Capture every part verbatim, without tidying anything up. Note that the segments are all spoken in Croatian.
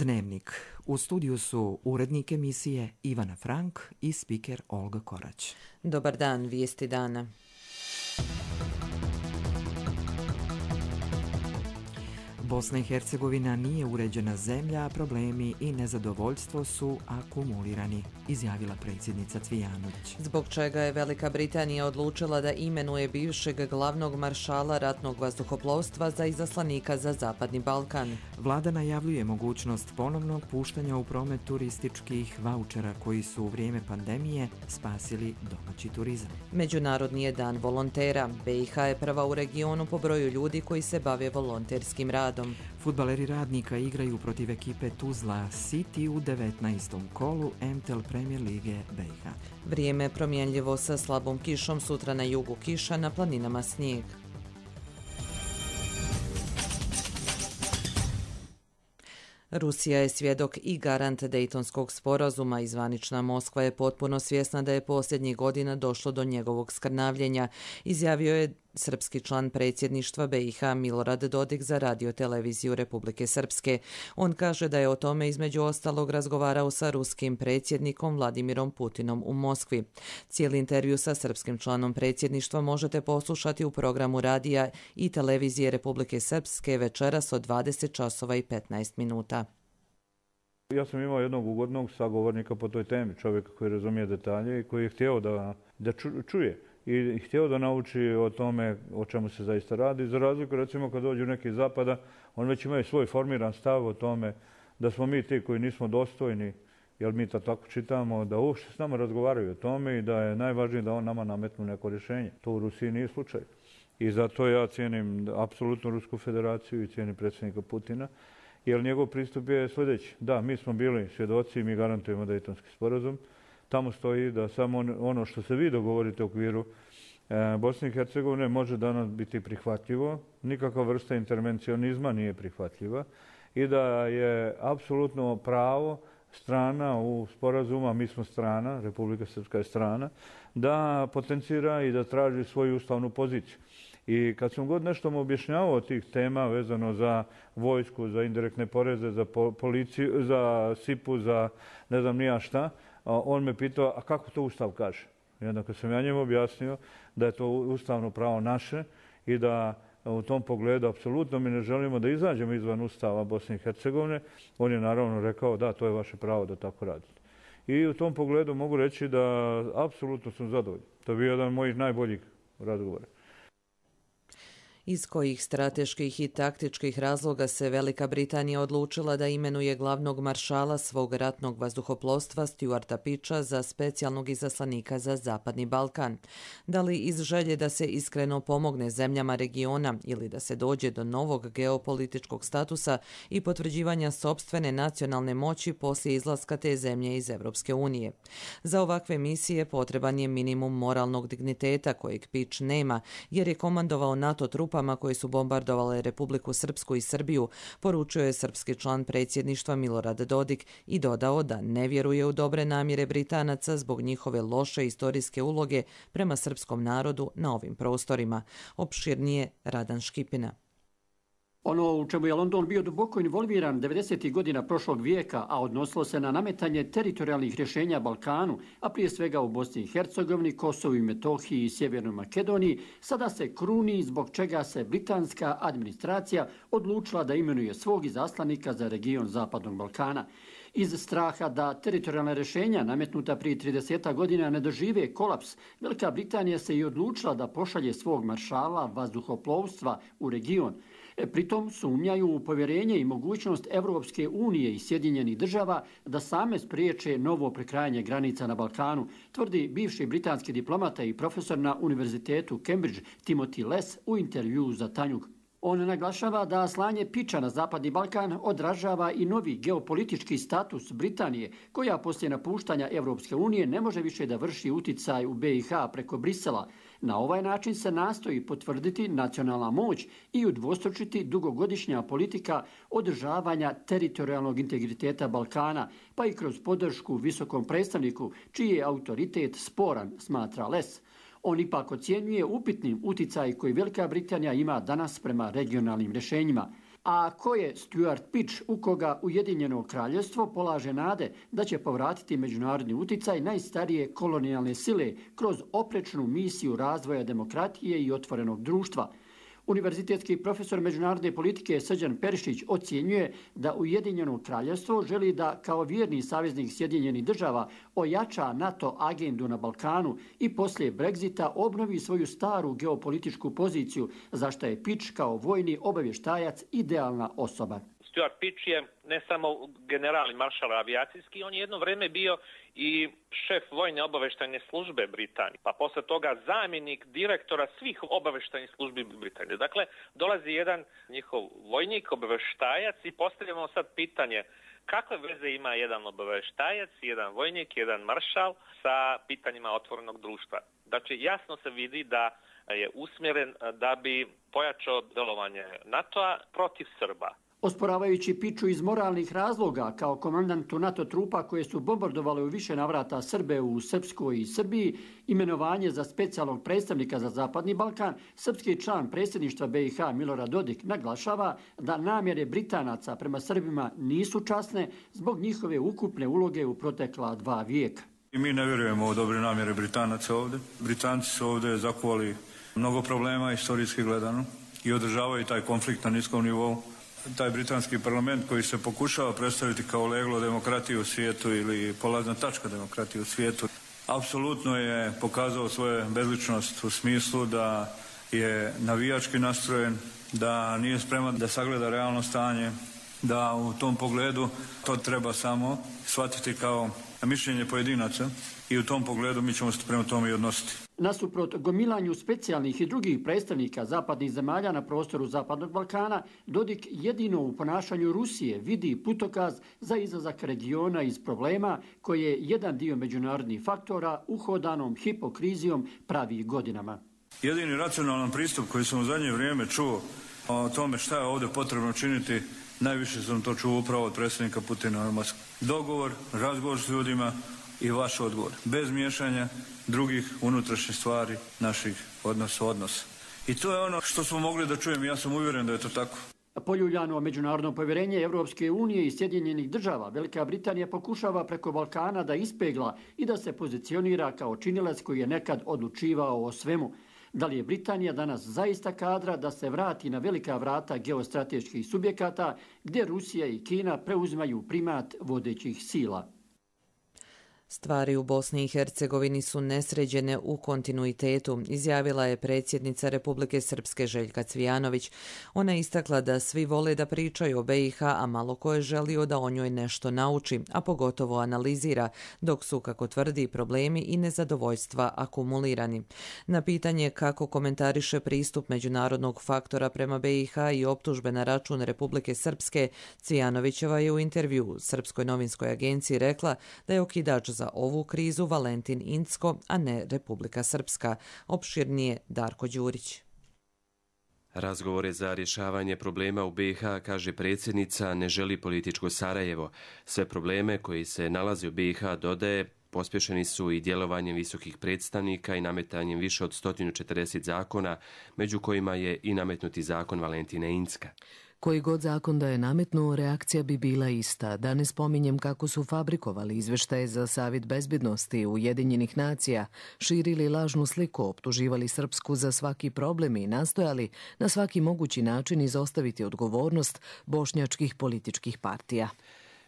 Dnevnik. U studiju su urednik emisije Ivana Frank i spiker Olga Korać. Dobar dan, vijesti dana. Bosna i Hercegovina nije uređena zemlja, a problemi i nezadovoljstvo su akumulirani, izjavila predsjednica Cvijanović. Zbog čega je Velika Britanija odlučila da imenuje bivšeg glavnog maršala ratnog vazduhoplovstva za izaslanika za Zapadni Balkan. Vlada najavljuje mogućnost ponovnog puštanja u promet turističkih vaučera koji su u vrijeme pandemije spasili domaći turizam. Međunarodni je dan volontera. B i H je prva u regionu po broju ljudi koji se bave volonterskim radom. Fudbaleri Radnika igraju protiv ekipe Tuzla City u devetnaestom kolu M T L Premier Lige B i H. Vrijeme promjenljivo sa slabom kišom, sutra na jugu kiša, na planinama snijeg. Rusija je svjedok i garant Dejtonskog sporazuma i zvanična Moskva je potpuno svjesna da je posljednjih godina došlo do njegovog skrnavljenja, izjavio je srpski član predsjedništva B i H Milorad Dodik za radio-televiziju Republike Srpske. On kaže da je o tome između ostalog razgovarao sa ruskim predsjednikom Vladimirom Putinom u Moskvi. Cijeli intervju sa srpskim članom predsjedništva možete poslušati u programu radija i televizije Republike Srpske večeras od dvadeset časova i petnaest minuta. Ja sam imao jednog ugodnog sagovornika po toj temi, čovjeka koji razumije detalje i koji je htio da, da čuje i htio da nauči o tome o čemu se zaista radi. Za razliku, recimo, kad dođu neki iz zapada, on već imaju svoj formiran stav o tome da smo mi ti koji nismo dostojni, jer mi to tako čitamo, da uopšte s nama razgovaraju o tome i da je najvažnije da on nama nametnu neko rješenje. To u Rusiji nije slučaj. I zato ja cijenim apsolutno Rusku federaciju i cijenim predsjednika Putina, jer njegov pristup je sljedeći. Da, mi smo bili svjedoci i mi garantujemo Dejtonski sporazum. Tamo stoji da samo ono što se vi dogovorite u okviru Bosne i Hercegovine može danas biti prihvatljivo. Nikakva vrsta intervencionizma nije prihvatljiva i da je apsolutno pravo strana u sporazuma, mi smo strana, Republika Srpska je strana, da potencira i da traži svoju ustavnu poziciju. I kad sam god nešto mu objašnjavao od tih tema vezano za vojsku, za indirektne poreze, za policiju, za sipu, za ne znam nija šta, on me pitao, a kako to Ustav kaže? I onda kad sam ja njemu objasnio da je to ustavno pravo naše i da u tom pogledu apsolutno mi ne želimo da izađemo izvan Ustava Bosne i Hercegovine, on je naravno rekao da, to je vaše pravo da tako radite. I u tom pogledu mogu reći da apsolutno sam zadovoljan. To je bio jedan od mojih najboljih razgovora. Iz kojih strateških i taktičkih razloga se Velika Britanija odlučila da imenuje glavnog maršala svog ratnog vazduhoplovstva Stuarta Peacha za specijalnog izaslanika za Zapadni Balkan? Da li iz želje da se iskreno pomogne zemljama regiona ili da se dođe do novog geopolitičkog statusa i potvrđivanja sopstvene nacionalne moći poslije izlaska te zemlje iz Evropske unije? Za ovakve misije potreban je minimum moralnog digniteta kojeg Peach nema, jer je komandovao NATO trupa koje su bombardovale Republiku Srpsku i Srbiju, poručio je srpski član predsjedništva Milorad Dodik i dodao da ne vjeruje u dobre namjere Britanaca zbog njihove loše istorijske uloge prema srpskom narodu na ovim prostorima. Opširnije Radan Škipina. Ono u čemu je London bio duboko involviran devedesetih godina prošlog vijeka, a odnosilo se na nametanje teritorijalnih rješenja Balkanu, a prije svega u Bosni i Hercegovini, Kosovu i Metohiji i Sjevernoj Makedoniji, sada se kruni zbog čega se britanska administracija odlučila da imenuje svog izaslanika za region Zapadnog Balkana. Iz straha da teritorijalna rješenja nametnuta prije trideset godina ne dožive kolaps, Velika Britanija se i odlučila da pošalje svog maršala vazduhoplovstva u region. Pritom sumnjaju u povjerenje i mogućnost Evropske unije i Sjedinjenih država da same spriječe novo prekrajanje granica na Balkanu, tvrdi bivši britanski diplomata i profesor na Univerzitetu Cambridge Timothy Less u intervjuu za Tanjug. On naglašava da slanje Peacha na Zapadni Balkan odražava i novi geopolitički status Britanije, koja poslije napuštanja Evropske unije ne može više da vrši uticaj u B i H preko Brisela. Na ovaj način se nastoji potvrditi nacionalna moć i udvostručiti dugogodišnja politika održavanja teritorijalnog integriteta Balkana, pa i kroz podršku visokom predstavniku, čiji je autoritet sporan, smatra Less. On ipak ocjenjuje upitnim uticaj koji Velika Britanija ima danas prema regionalnim rješenjima. A ko je Stuart Pitch, u koga Ujedinjeno kraljevstvo polaže nade da će povratiti međunarodni uticaj najstarije kolonijalne sile kroz oprečnu misiju razvoja demokratije i otvorenog društva. Univerzitetski profesor međunarodne politike Srđan Perišić ocjenjuje da Ujedinjeno kraljevstvo želi da kao vjerni saveznik Sjedinjenih država ojača NATO agendu na Balkanu i poslije Brexita obnovi svoju staru geopolitičku poziciju, za što je Pitch kao vojni obavještajac idealna osoba. Stuart Pitch je ne samo general i maršal avijacijski, on je jedno vrijeme bio i šef vojne obavještajne službe Britanije, pa posle toga zamjenik direktora svih obavještajnih službi Britanije. Dakle, dolazi jedan njihov vojnik, obavještajac i postavljamo sad pitanje kakve veze ima jedan obavještajac, jedan vojnik, jedan maršal sa pitanjima otvorenog društva. Znači, jasno se vidi da je usmjeren da bi pojačao delovanje NATO-a protiv Srba. Osporavajući Pitchu iz moralnih razloga kao komandantu NATO trupa koje su bombardovale u više navrata Srbe u Srpskoj i Srbiji, imenovanje za specijalnog predstavnika za Zapadni Balkan, srpski član predsjedništva B i H Milorad Dodik naglašava da namjere Britanaca prema Srbima nisu časne zbog njihove ukupne uloge u protekla dva vijeka. I mi ne vjerujemo u dobre namjere Britanaca ovdje. Britanci su ovdje zakuvali mnogo problema istorijski gledano i održavaju taj konflikt na niskom nivou. Taj britanski parlament koji se pokušava predstaviti kao leglo demokratije u svijetu ili polazna tačka demokratije u svijetu, apsolutno je pokazao svoju bezličnost u smislu da je navijački nastrojen, da nije spreman da sagleda realno stanje, da u tom pogledu to treba samo shvatiti kao mišljenje pojedinaca i u tom pogledu mi ćemo se prema tome i odnositi. Nasuprot gomilanju specijalnih i drugih predstavnika zapadnih zemalja na prostoru Zapadnog Balkana, Dodik jedino u ponašanju Rusije vidi putokaz za izlazak regiona iz problema koje jedan dio međunarodnih faktora uhodanom hipokrizijom pravi godinama. Jedini racionalan pristup koji sam u zadnje vrijeme čuo o tome šta je ovdje potrebno činiti, najviše sam to čuo upravo od predsjednika Putina u Moskvi. Dogovor, razgovor s ljudima i vaš odgovor. Bez miješanja drugih unutrašnjih stvari naših odnosa odnosa. I to je ono što smo mogli da čujemo. Ja sam uvjeren da je to tako. Poljuljano međunarodno povjerenje Evropske unije i Sjedinjenih država, Velika Britanija pokušava preko Balkana da ispegla i da se pozicionira kao činilac koji je nekad odlučivao o svemu. Da li je Britanija danas zaista kadra da se vrati na velika vrata geostrateških subjekata gdje Rusija i Kina preuzimaju primat vodećih sila? Stvari u Bosni i Hercegovini su nesređene u kontinuitetu, izjavila je predsjednica Republike Srpske Željka Cvijanović. Ona je istakla da svi vole da pričaju o B i H, a malo ko je želio da o njoj nešto nauči, a pogotovo analizira, dok su, kako tvrdi, problemi i nezadovoljstva akumulirani. Na pitanje kako komentariše pristup međunarodnog faktora prema B i H i optužbe na račun Republike Srpske, Cvijanovićeva je u intervju Srpskoj novinskoj agenciji rekla da je okidač za ovu krizu Valentin Incko, a ne Republika Srpska. Opširnije Darko Đurić. Razgovore za rješavanje problema u B i H, kaže predsjednica, ne želi političko Sarajevo. Sve probleme koji se nalaze u B i H, dodaje, pospješeni su i djelovanjem visokih predstavnika i nametanjem više od sto četrdeset zakona, među kojima je i nametnuti zakon Valentine Incka. Koji god zakon da je nametnuo, reakcija bi bila ista. Da ne spominjem kako su fabrikovali izveštaje za Savjet bezbjednosti Ujedinjenih nacija, širili lažnu sliku, optuživali Srpsku za svaki problem i nastojali na svaki mogući način izostaviti odgovornost bošnjačkih političkih partija.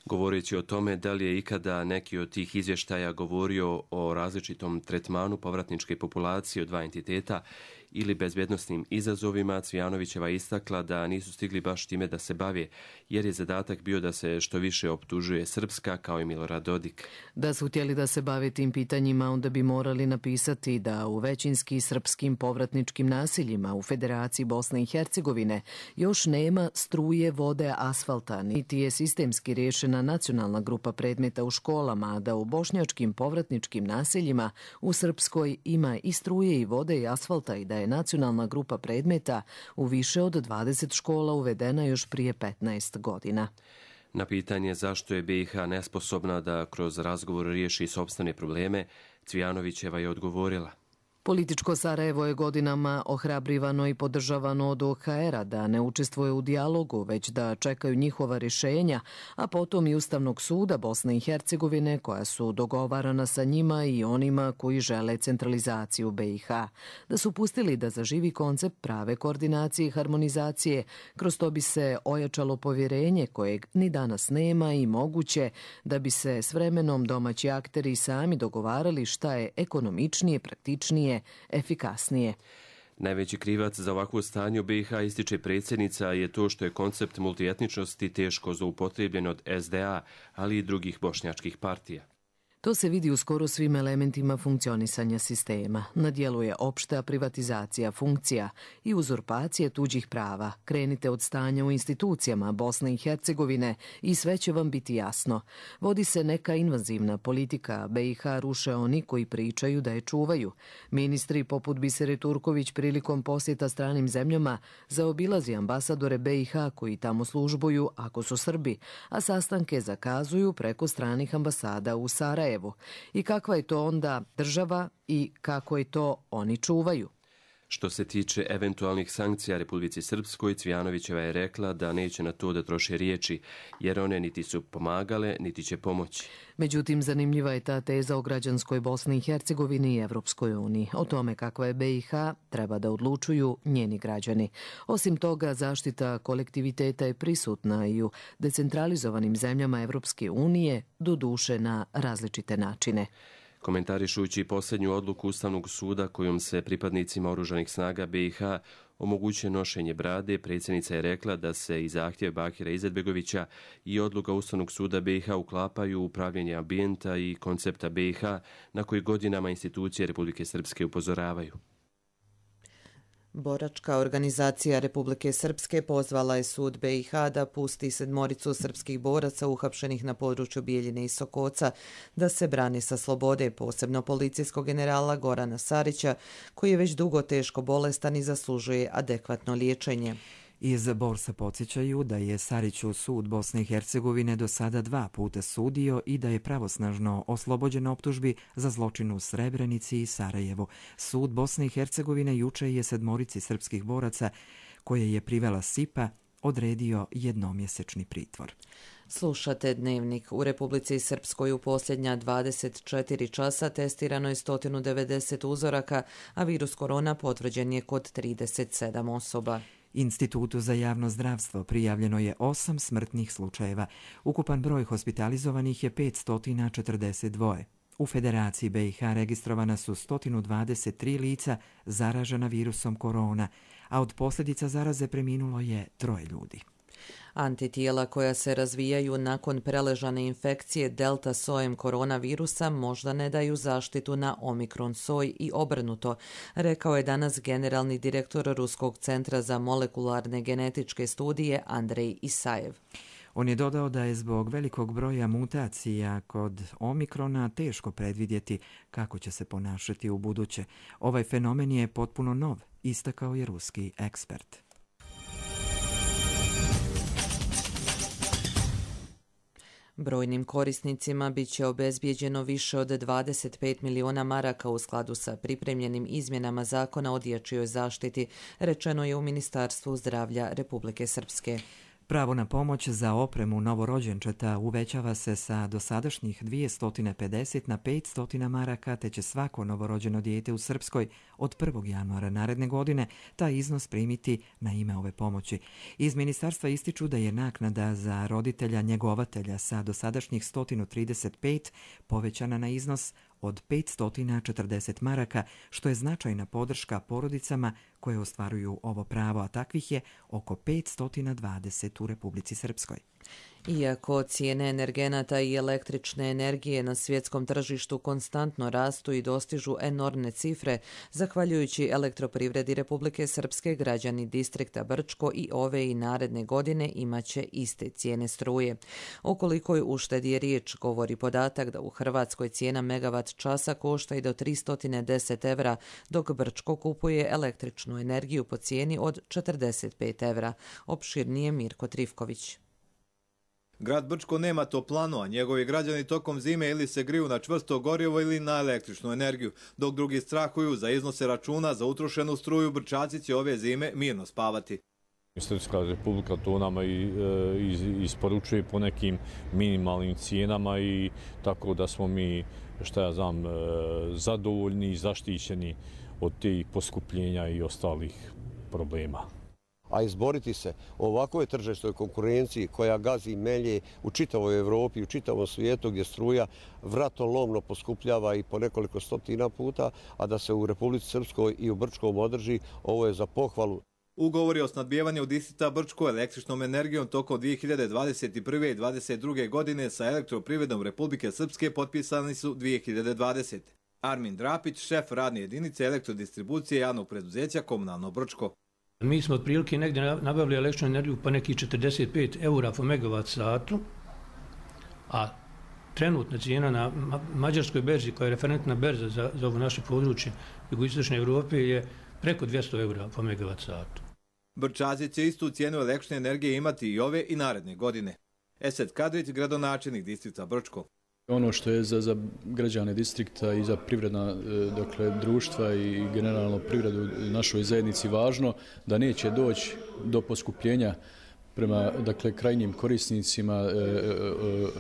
Govoreći o tome da li je ikada neki od tih izvještaja govorio o različitom tretmanu povratničke populacije od dva entiteta ili bezbjednosnim izazovima, Cvijanovićeva istakla da nisu stigli baš time da se bave, jer je zadatak bio da se što više optužuje Srpska, kao i Milorad Dodik. Da su htjeli da se bave tim pitanjima, onda bi morali napisati da u većinski srpskim povratničkim naseljima u Federaciji Bosne i Hercegovine još nema struje, vode, asfalta, niti je sistemski riješena nacionalna grupa predmeta u školama, a da u bošnjačkim povratničkim naseljima u Srpskoj ima i struje i vode i asfalta i da je nacionalna grupa predmeta u više od dvadeset škola uvedena još prije petnaest godina. Na pitanje zašto je B i H nesposobna da kroz razgovor riješi sopstvene probleme, Cvijanovićeva je odgovorila. Političko Sarajevo je godinama ohrabrivano i podržavano od O H R-a da ne učestvuje u dijalogu, već da čekaju njihova rješenja, a potom i Ustavnog suda Bosne i Hercegovine koja su dogovarana sa njima i onima koji žele centralizaciju B i H. Da su pustili da zaživi koncept prave koordinacije i harmonizacije, kroz to bi se ojačalo povjerenje kojeg ni danas nema i moguće da bi se s vremenom domaći akteri sami dogovarali šta je ekonomičnije, praktičnije, efikasnije. Najveći krivac za ovakvo stanje u B i H, ističe predsjednica, je to što je koncept multietničnosti teško zloupotrebljen od S D A, ali i drugih bošnjačkih partija. To se vidi u skoro svim elementima funkcionisanja sistema. Na djelu je opšta privatizacija funkcija i uzurpacije tuđih prava. Krenite od stanja u institucijama Bosne i Hercegovine i sve će vam biti jasno. Vodi se neka invazivna politika, B i H ruše oni koji pričaju da je čuvaju. Ministri poput Bisere Turković prilikom posjeta stranim zemljama zaobilazi ambasadore B i H koji tamo službuju ako su Srbi, a sastanke zakazuju preko stranih ambasada u Sarajevu. I kakva je to onda država i kako je to oni čuvaju? Što se tiče eventualnih sankcija Republici Srpskoj, Cvijanovićeva je rekla da neće na to da troše riječi, jer one niti su pomagale, niti će pomoći. Međutim, zanimljiva je ta teza o građanskoj Bosni i Hercegovini i Evropskoj uniji. O tome kakva je B i H treba da odlučuju njeni građani. Osim toga, zaštita kolektiviteta je prisutna i u decentralizovanim zemljama Evropske unije, doduše na različite načine. Komentarišući posljednju odluku Ustavnog suda kojom se pripadnicima oružanih snaga B i H omogućuje nošenje brade, predsjednica je rekla da se i zahtjev Bakira Izetbegovića i odluka Ustavnog suda B i H uklapaju u upravljanje ambijenta i koncepta B i H na koji godinama institucije Republike Srpske upozoravaju. Boračka organizacija Republike Srpske pozvala je sud B i H da pusti sedmoricu srpskih boraca uhapšenih na području Bijeljine i Sokoca da se brane sa slobode, posebno policijskog generala Gorana Sarića, koji je već dugo teško bolestan i zaslužuje adekvatno liječenje. Iz Borsa podsjećaju da je Sariću sud Bosne i Hercegovine do sada dva puta sudio i da je pravosnažno oslobođen optužbi za zločin u Srebrenici i Sarajevu. Sud Bosne i Hercegovine juče je sedmorici srpskih boraca, koje je privela S I P A, odredio jednomjesečni pritvor. Slušate Dnevnik. U Republici Srpskoj u posljednja dvadeset četiri časa testirano je sto devedeset uzoraka, a virus korona potvrđen je kod trideset sedam osoba. Institutu za javno zdravstvo prijavljeno je osam smrtnih slučajeva. Ukupan broj hospitalizovanih je petsto četrdeset dva. U Federaciji B i H registrovana su sto dvadeset tri lica zaražena virusom korona, a od posljedica zaraze preminulo je troje ljudi. Antitijela koja se razvijaju nakon preležane infekcije delta sojem koronavirusa možda ne daju zaštitu na omikron soj i obrnuto, rekao je danas generalni direktor Ruskog centra za molekularne genetičke studije Andrej Isajev. On je dodao da je zbog velikog broja mutacija kod omikrona teško predvidjeti kako će se ponašati u buduće. Ovaj fenomen je potpuno nov, istakao je ruski ekspert. Brojnim korisnicima bit će obezbijeđeno više od dvadeset pet miliona maraka u skladu sa pripremljenim izmjenama zakona o dječjoj zaštiti, rečeno je u Ministarstvu zdravlja Republike Srpske. Pravo na pomoć za opremu novorođenčeta uvećava se sa dosadašnjih dvjesto pedeset na petsto maraka, te će svako novorođeno dijete u Srpskoj od prvog januara naredne godine taj iznos primiti na ime ove pomoći. Iz ministarstva ističu da je naknada za roditelja njegovatelja sa dosadašnjih sto trideset pet povećana na iznos od petsto četrdeset maraka, što je značajna podrška porodicama koje ostvaruju ovo pravo, a takvih je oko petsto dvadeset u Republici Srpskoj. Iako cijene energenata i električne energije na svjetskom tržištu konstantno rastu i dostižu enormne cifre, zahvaljujući Elektroprivredi Republike Srpske, građani distrikta Brčko i ove i naredne godine imaće iste cijene struje. O kolikoj uštedi je riječ, govori podatak da u Hrvatskoj cijena megavat časa košta i do tristo deset evra, dok Brčko kupuje električnu energiju po cijeni od četrdeset pet evra. Opširnije Mirko Trifković. Grad Brčko nema toplanu, a njegovi građani tokom zime ili se griju na čvrsto gorivo ili na električnu energiju, dok drugi strahuju za iznose računa za utrošenu struju. Brčaci će ove zime mirno spavati. Srpska Republika to nama i, e, isporučuje po nekim minimalnim cijenama i tako da smo mi, šta ja znam, e, zadovoljni i zaštićeni od tih poskupljenja i ostalih problema. A izboriti se u ovakvoj tržišnoj konkurenciji koja gazi melje u čitavoj Evropi, u čitavom svijetu gdje struja vratolomno poskupljava i po nekoliko stotina puta, a da se u Republici Srpskoj i u Brčkom održi, ovo je za pohvalu. Ugovori o snabdijevanju distrikta Brčko električnom energijom tokom dvije hiljade dvadeset prve i dvadeset druge godine sa Elektroprivredom Republike Srpske potpisani su dvije hiljade dvadesete. Armin Drapić, šef radne jedinice elektrodistribucije javnog preduzeća Komunalno Brčko. Mi smo otprilike negdje nabavili električnu energiju pa nekih četrdeset pet eura po megavat satu, a trenutna cijena na mađarskoj berzi, koja je referentna berza za, za ovo naše područje jugoistočne Evrope, je preko dvjesto eura po megavat satu. Brčaci će istu cijenu električne energije imati i ove i naredne godine. Esed Kadrić, gradonačelnik distrikta Brčko. Ono što je za, za građane distrikta i za privredna dakle, društva i generalno privredu našoj zajednici važno, da neće doći do poskupljenja prema dakle, krajnjim korisnicima e,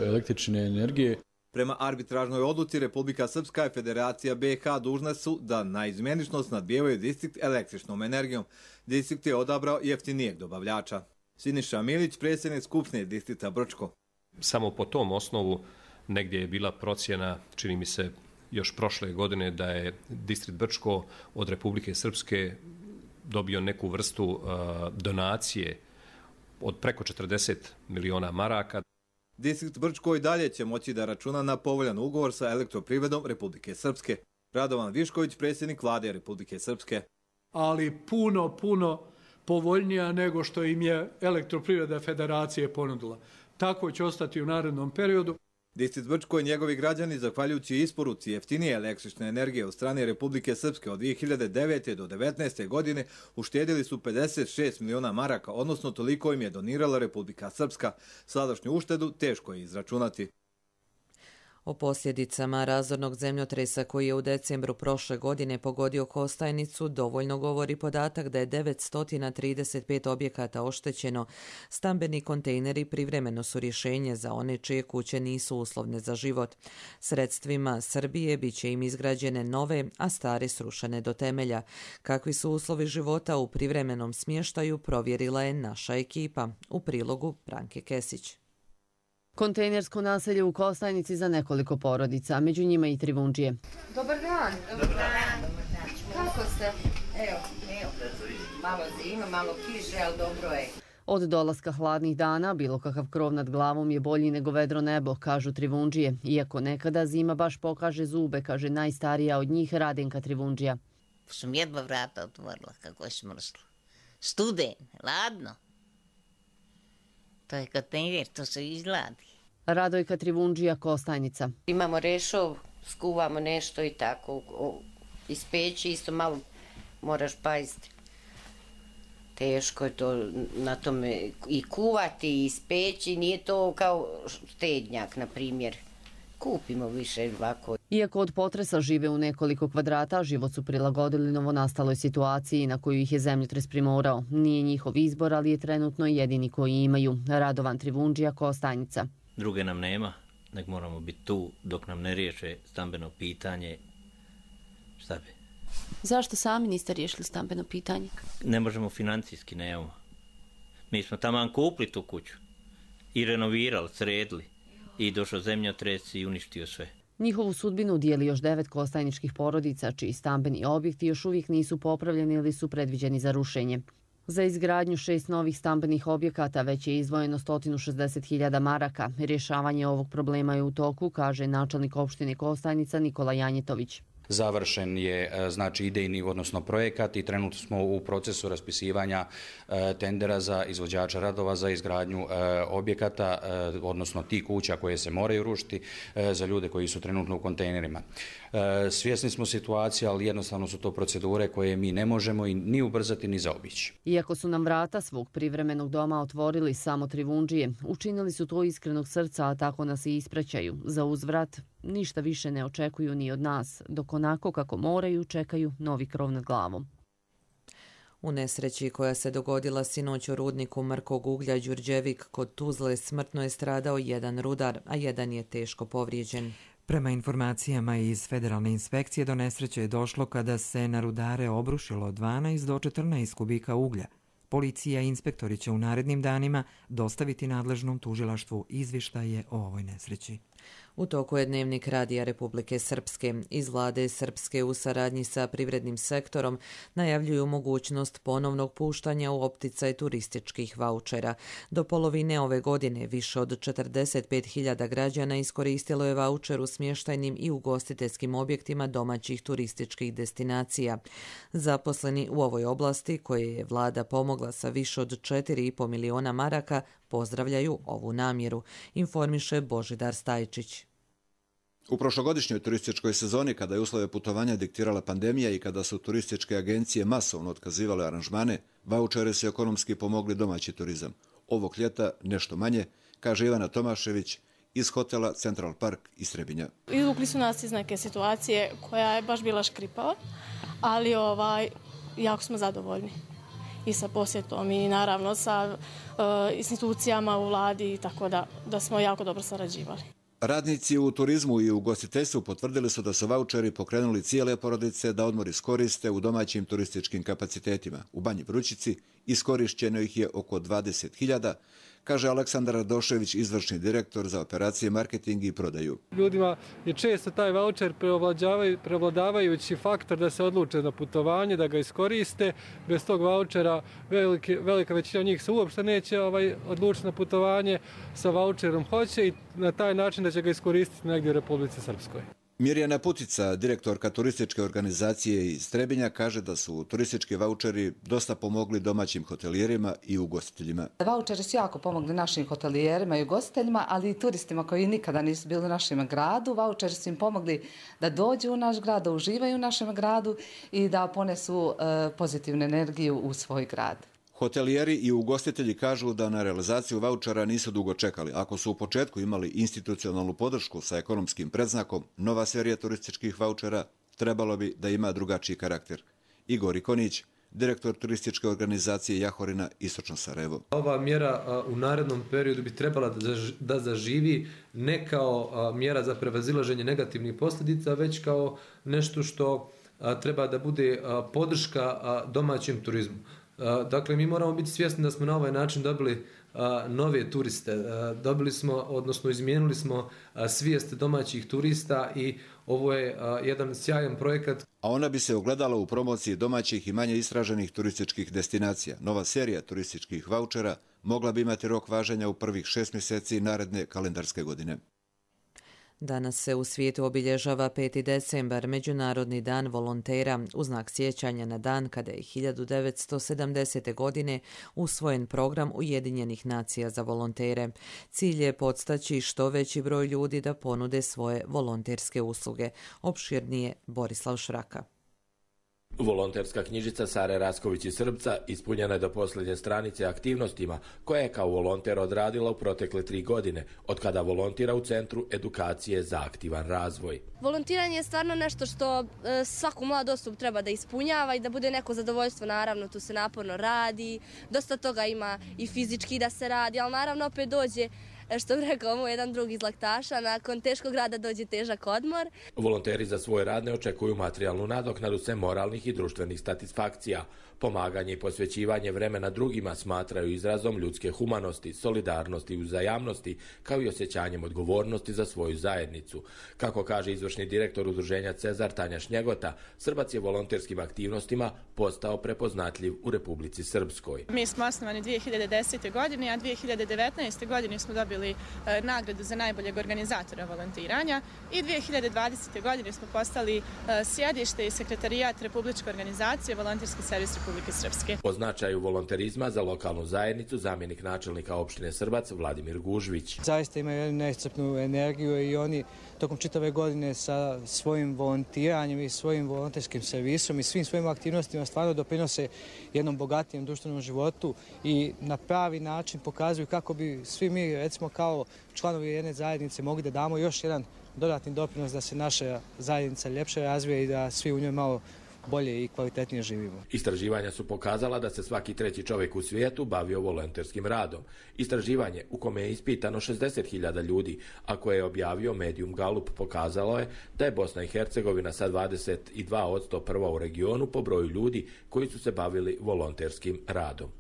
e, električne energije. Prema arbitražnoj odluci Republika Srpska i Federacija B iH dužne su da na izmjenično snabdijevaju distrikt električnom energijom. Distrikt je odabrao jeftinijeg dobavljača. Siniša Milić, predsjednik Skupštine distrikta Brčko. Samo po tom osnovu negdje je bila procjena, čini mi se još prošle godine, da je distrikt Brčko od Republike Srpske dobio neku vrstu uh, donacije od preko četrdeset miliona maraka. Distrikt Brčko i dalje će moći da računa na povoljan ugovor sa Elektroprivredom Republike Srpske. Radovan Višković, predsjednik vlade Republike Srpske. Ali puno, puno povoljnija nego što im je Elektroprivreda Federacije ponudila. Tako će ostati u narednom periodu. Distrikt Brčko i njegovi građani, zahvaljujući isporuci jeftinije električne energije od strane Republike Srpske od dvije hiljade devete do devetnaeste godine, uštedili su pedeset šest miliona maraka, odnosno toliko im je donirala Republika Srpska. Sadašnju uštedu teško je izračunati. O posljedicama razornog zemljotresa koji je u decembru prošle godine pogodio Kostajnicu dovoljno govori podatak da je devetsto trideset pet objekata oštećeno. Stambeni kontejneri privremeno su rješenje za one čije kuće nisu uslovne za život. Sredstvima Srbije bit će im izgrađene nove, a stare srušene do temelja. Kakvi su uslovi života u privremenom smještaju provjerila je naša ekipa. U prilogu Branke Kesić. Kontejnersko naselje u Kostajnici za nekoliko porodica, među njima i Trivundžije. Dobar dan. Dobar dan. Kako ste? Evo, evo. Malo zima, malo kiše, ali dobro je. Od dolaska hladnih dana bilo kakav krov nad glavom je bolji nego vedro nebo, kažu Trivundžije. Iako nekada zima baš pokaže zube, kaže najstarija od njih Radenka Trivundžija. Sam jedva vrata otvorila kako je smrslo. Studen, ladno. To je kontejner, to se izgladi. Radojka Trivundžija, Kostajnica. Imamo rešov, skuvamo nešto i tako. Iz peći isto malo moraš paziti. Teško je to na tome i kuvati i ispeći. Nije to kao štednjak, na primjer. Kupimo više ovako. Iako od potresa žive u nekoliko kvadrata, život su prilagodili novonastaloj situaciji na koju ih je zemljotres primorao. Nije njihov izbor, ali je trenutno jedini koji imaju. Radovan Trivundžija, Kostajnica. Druge nam nema, nek moramo biti tu dok nam ne riješe stambeno pitanje. Šta bi? Zašto sami niste riješili stambeno pitanje? Ne možemo financijski, nemamo. Mi smo taman kupili tu kuću i renovirali, sredili. I došao zemljotres i uništio sve. Njihovu sudbinu dijeli još devet kostajničkih porodica, čiji stambeni objekti još uvijek nisu popravljeni ili su predviđeni za rušenje. Za izgradnju šest novih stambenih objekata već je izdvojeno sto šezdeset hiljada maraka. Rješavanje ovog problema je u toku, kaže načelnik opštine Kostajnica Nikola Janjetović. završen je znači idejni odnosno projekat i trenutno smo u procesu raspisivanja tendera za izvođača radova za izgradnju objekata, odnosno tih kuća koje se moraju rušiti za ljude koji su trenutno u kontejnerima. Svjesni smo situacije, ali jednostavno su to procedure koje mi ne možemo i ni ubrzati ni zaobići. Iako su nam vrata svog privremenog doma otvorili samo Trivundžije, učinili su to iskrenog srca, a tako nas i ispraćaju. Za uzvrat ništa više ne očekuju ni od nas, dok onako kako moraju čekaju novi krov nad glavom. U nesreći koja se dogodila sinoć u rudniku mrkog uglja Đurđevik kod Tuzle smrtno je stradao jedan rudar, a jedan je teško povrijeđen. Prema informacijama iz Federalne inspekcije do nesreće je došlo kada se na rudare obrušilo dvanaest do četrnaest kubika uglja. Policija i inspektori će u narednim danima dostaviti nadležnom tužilaštvu izvještaje o ovoj nesreći. U toku je dnevnik Radija Republike Srpske. Iz vlade Srpske u saradnji sa privrednim sektorom najavljuju mogućnost ponovnog puštanja u opticaj turističkih vaučera. Do polovine ove godine više od četrdeset pet hiljada građana iskoristilo je vaučer u smještajnim i ugostiteljskim objektima domaćih turističkih destinacija. Zaposleni u ovoj oblasti, koje je vlada pomogla sa više od četiri i po miliona maraka, pozdravljaju ovu namjeru, informiše Božidar Stajčić. U prošlogodišnjoj turističkoj sezoni, kada je uslove putovanja diktirala pandemija i kada su turističke agencije masovno otkazivale aranžmane, vaučere su ekonomski pomogli domaći turizam. Ovog ljeta nešto manje, kaže Ivana Tomašević iz hotela Central Park iz Trebinja. Izvukli su nas iz neke situacije koja je baš bila škripava, ali ovaj, jako smo zadovoljni. I sa posjetom i naravno sa uh, institucijama u vladi, tako da, da smo jako dobro sarađivali. Radnici u turizmu i u ugostiteljstvu potvrdili su da su vaučeri pokrenuli cijele porodice da odmor iskoriste u domaćim turističkim kapacitetima. U Banji Vrućici iskorišćeno ih je oko dvadeset hiljada, kaže Aleksandar Radošević, izvršni direktor za operacije, marketing i prodaju. Ljudima je često taj vaučer preovladavajući faktor da se odluče na putovanje, da ga iskoriste. Bez tog vaučera velike, velika većina njih se uopšte neće ovaj, odlučiti na putovanje, sa vaučerom hoće i na taj način da će ga iskoristiti negdje u Republici Srpskoj. Mirjana Putica, direktorka turističke organizacije iz Trebinja, kaže da su turistički vaučeri dosta pomogli domaćim hotelijerima i ugostiteljima. Vaučeri su jako pomogli našim hotelijerima i ugostiteljima, ali i turistima koji nikada nisu bili u našem gradu. Vaučeri su im pomogli da dođu u naš grad, da uživaju u našem gradu i da ponesu pozitivnu energiju u svoj grad. Hotelijeri i ugostitelji kažu da na realizaciju vaučera nisu dugo čekali. Ako su u početku imali institucionalnu podršku sa ekonomskim predznakom, nova serija turističkih vaučera trebalo bi da ima drugačiji karakter. Igor Ikonić, direktor turističke organizacije Jahorina, Istočno Sarajevo. Ova mjera u narednom periodu bi trebala da zaživi ne kao mjera za prevazilaženje negativnih posljedica, već kao nešto što treba da bude podrška domaćem turizmu. Dakle, mi moramo biti svjesni da smo na ovaj način dobili a, nove turiste. A, dobili smo, odnosno izmijenili smo a, svijest domaćih turista i ovo je a, jedan sjajan projekat. A ona bi se ogledala u promociji domaćih i manje istraženih turističkih destinacija. Nova serija turističkih vaučera mogla bi imati rok važenja u prvih šest mjeseci naredne kalendarske godine. Danas se u svijetu obilježava peti decembar, Međunarodni dan volontera, u znak sjećanja na dan kada je hiljadu devetsto sedamdesete. godine usvojen program Ujedinjenih nacija za volontere. Cilj je podstaći što veći broj ljudi da ponude svoje volonterske usluge. Opširnije Borislav Šraka. Volonterska knjižica Sare Rasković iz Srbca ispunjena je do posljednje stranice aktivnostima koje je kao volonter odradila u protekle tri godine, od kada volontira u Centru edukacije za aktivan razvoj. Volontiranje je stvarno nešto što e, svaku mladu osobu treba da ispunjava i da bude neko zadovoljstvo. Naravno, tu se naporno radi, dosta toga ima i fizički da se radi, ali naravno opet dođe, što bi rekao moj jedan drug iz Laktaša, nakon teškog rada dođe težak odmor. Volonteri za svoj rad ne očekuju materijalnu nadoknadu sem moralnih i društvenih satisfakcija. Pomaganje i posvećivanje vremena drugima smatraju izrazom ljudske humanosti, solidarnosti i uzajamnosti, kao i osjećanjem odgovornosti za svoju zajednicu. Kako kaže izvršni direktor udruženja Cezar Tanja Šnjegota, Srbac je volonterskim aktivnostima postao prepoznatljiv u Republici Srpskoj. Mi smo osnovani dvije hiljade desete. godine, a dvije hiljade devetnaeste. godine smo dobili dobili e, nagradu za najboljeg organizatora volontiranja i dvije hiljade dvadesete. godine smo postali e, sjedište i sekretarijat Republičke organizacije Volonterski servis Republike Srpske. O značaju volonterizma za lokalnu zajednicu zamjenik načelnika opštine Srbac Vladimir Gužvić. Zaista imaju jednu neiscrpnu energiju i oni tokom čitave godine sa svojim volontiranjem i svojim volonterskim servisom i svim svojim aktivnostima stvarno doprinose jednom bogatijem društvenom životu i na pravi način pokazuju kako bi svi mi, recimo kao članovi jedne zajednice, mogli da damo još jedan dodatni doprinos da se naša zajednica ljepše razvije i da svi u njoj malo bolje i kvalitetnije živimo. Istraživanja su pokazala da se svaki treći čovjek u svijetu bavio volonterskim radom. Istraživanje u kome je ispitano šezdeset hiljada ljudi, a koje je objavio Medium Gallup, pokazalo je da je Bosna i Hercegovina sa dvadeset dva posto prva u regionu po broju ljudi koji su se bavili volonterskim radom.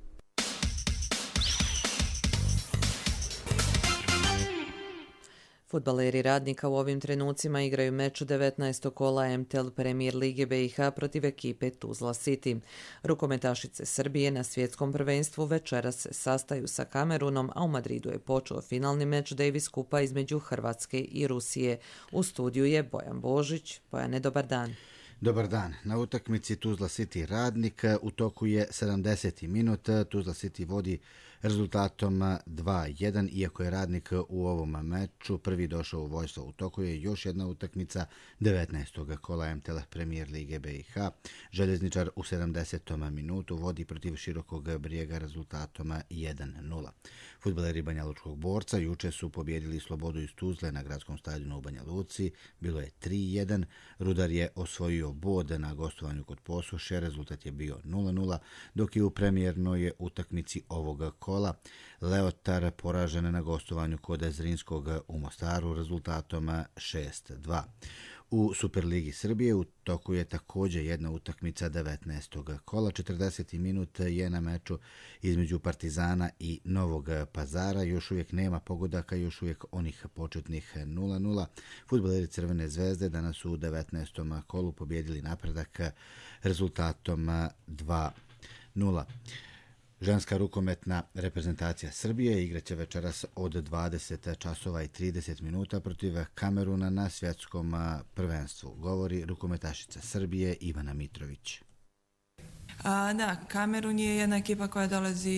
Fudbaleri Radnika u ovim trenucima igraju meč devetnaestog kola M T L Premier Lige B i H protiv ekipe Tuzla City. Rukometašice Srbije na svjetskom prvenstvu večeras se sastaju sa Kamerunom, a u Madridu je počeo finalni meč Davis Kupa između Hrvatske i Rusije. U studiju je Bojan Božić. Bojane, dobar dan. Dobar dan. Na utakmici Tuzla City Radnik u toku je sedamdeseti minut. Tuzla City vodi rezultatom dva jedan, iako je Radnik u ovom meču prvi došao u vojstvo. U toku je još jedna utakmica devetnaestog kola M T L Premier Lige B i H. Željezničar u sedamdesetom minutu vodi protiv Širokog Brijega rezultatom jedan nula. Fudbaleri Banja Lučkog Borca juče su pobjedili Slobodu iz Tuzle na gradskom stadionu u Banja Luci. Bilo je tri jedan. Rudar je osvojio bod na gostovanju kod Posuše. Rezultat je bio nula nula, dok je u premijernoj utakmici ovoga kola Leotar poražen na gostovanju kod Zrinskog u Mostaru rezultatom šest dva. U Superligi Srbije u toku je također jedna utakmica devetnaestog kola. četrdeseti minut je na meču između Partizana i Novog Pazara. Još uvijek nema pogodaka, još uvijek onih početnih nula nula. Fudbaleri Crvene zvezde danas su u devetnaestom kolu pobjedili Napredak rezultatom dva nula. Ženska rukometna reprezentacija Srbije igraće večeras od dvadeset časova i trideset minuta protiv Kameruna na svjetskom prvenstvu. Govori rukometašica Srbije Ivana Mitrović. A, da, Kamerun je jedna ekipa koja dolazi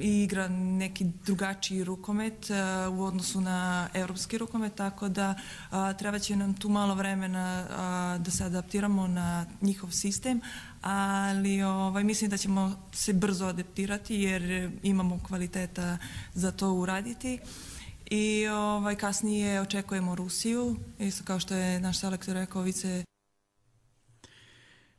i igra neki drugačiji rukomet a, u odnosu na evropski rukomet, tako da a, treba će nam tu malo vremena a, da se adaptiramo na njihov sistem, ali ovaj, mislim da ćemo se brzo adaptirati jer imamo kvaliteta za to uraditi. I ovaj, kasnije očekujemo Rusiju, isto kao što je naš selektor rekao, vice.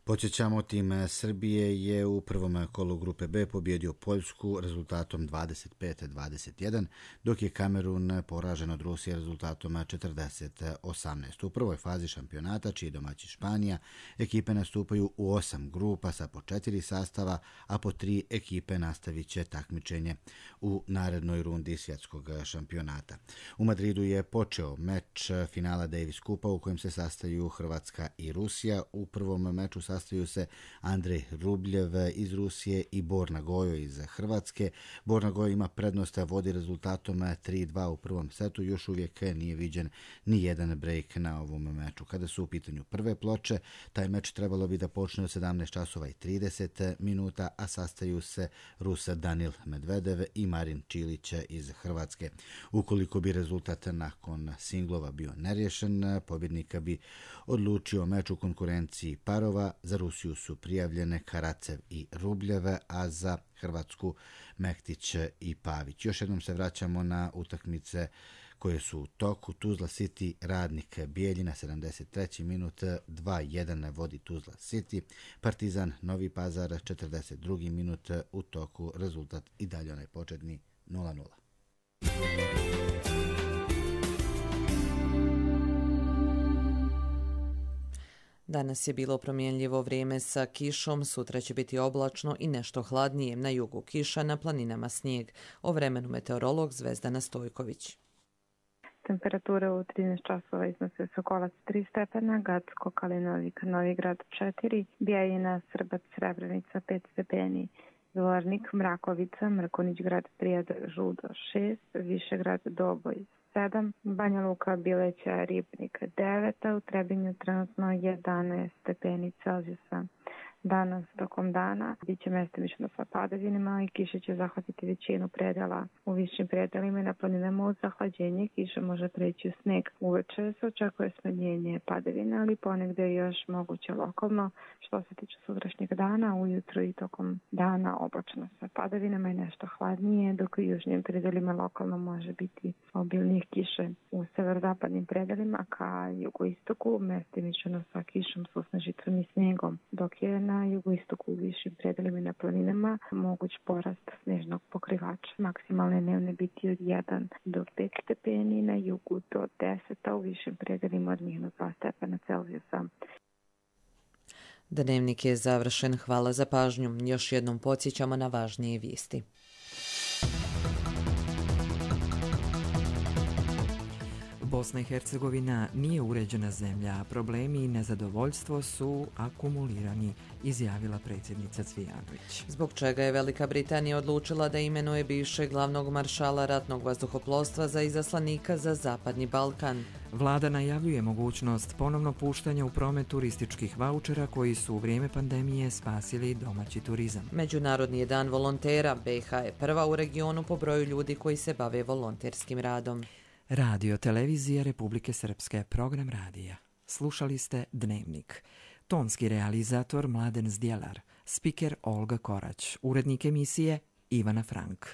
Podsjećamo, tim Srbije je u prvom kolu grupe B pobjedio Poljsku rezultatom dvadeset pet dvadeset jedan, dok je Kamerun poražen od Rusije rezultatom četrdeset osamnaest. U prvoj fazi šampionata, čiji domaći Španija, ekipe nastupaju u osam grupa sa po četiri sastava, a po tri ekipe nastavit će takmičenje u narednoj rundi svjetskog šampionata. U Madridu je počeo meč finala Davis Kupa u kojem se sastaju Hrvatska i Rusija. U prvom meču sa Sastaju se Andrej Rubljev iz Rusije i Borna Gojo iz Hrvatske. Borna Gojo ima prednost, vodi rezultatom tri dva u prvom setu. Još uvijek nije viđen ni jedan break na ovom meču. Kada su u pitanju prve ploče, taj meč trebalo bi da počne od sedamnaest časova i trideset minuta, a sastaju se Rus Danil Medvedev i Marin Čilić iz Hrvatske. Ukoliko bi rezultat nakon singlova bio nerješen, pobjednika bi odlučio meč u konkurenciji parova. Za Rusiju su prijavljene Karacev i Rubljeve, a za Hrvatsku Mektić i Pavić. Još jednom se vraćamo na utakmice koje su u toku. Tuzla City Radnik Bijeljina, sedamdeset treći minut, dva jedan vodi Tuzla City. Partizan Novi Pazar, četrdeset drugi minut, u toku rezultat i dalje onaj početni nula nula. Danas je bilo promjenljivo vrijeme sa kišom, sutra će biti oblačno i nešto hladnije, na jugu kiša, na planinama snijeg. O vremenu meteorolog Zvezdana Stojković. Temperature u trinaest časova iznose Sokolac tri stepena, Gacko, Kalinovik, Novigrad četiri, Bijeljina, Srbac, Srebrenica pet stepeni, Zvornik, Mrakovica, Mrkonić grad, Prijed, Žudo šest, Višegrad, Doboj sedam, Banja Luka, Bileća, Ribnik devet, a u Trebinju trenutno jedanaest stepeni Celzijusa. Danas tokom dana biće mestimično sa padavinama i kiša će zahvatiti većinu predela. U višim predelima i na planinama uz zahlađenje kiša može preći u sneg. Uveče se očekuje smanjenje padavina, ali ponegde je još moguće lokalno. Što se tiče sutrašnjeg dana, ujutro i tokom dana oblačno sa padavinama i nešto hladnije, dok u južnim predelima lokalno može biti obilnije kiše. U severozapadnim predelima ka jugoistoku mestimično sa kišom, susnežicom i snegom, dok je na jugoistoku u višim predelima i na planinama moguć porast snežnog pokrivača. Maksimalne dnevne biti od jedan do pet stepeni, na jugu do deset, a u višim predelima od minus dva stepena Celzijusa. Dnevnik je završen. Hvala za pažnju. Još jednom podsjećamo na važnije vijesti. Bosna i Hercegovina nije uređena zemlja, a problemi i nezadovoljstvo su akumulirani, izjavila predsjednica Cvijanović. Zbog čega je Velika Britanija odlučila da imenuje bivšeg glavnog maršala ratnog vazduhoplovstva za izaslanika za Zapadni Balkan. Vlada najavljuje mogućnost ponovno puštanja u promet turističkih vaučera koji su u vrijeme pandemije spasili domaći turizam. Međunarodni je dan volontera. B i H je prva u regionu po broju ljudi koji se bave volonterskim radom. Radio Televizija Republike Srpske, program radija. Slušali ste Dnevnik. Tonski realizator Mladen Zdjelar, spiker Olga Korać, urednik emisije Ivana Frank.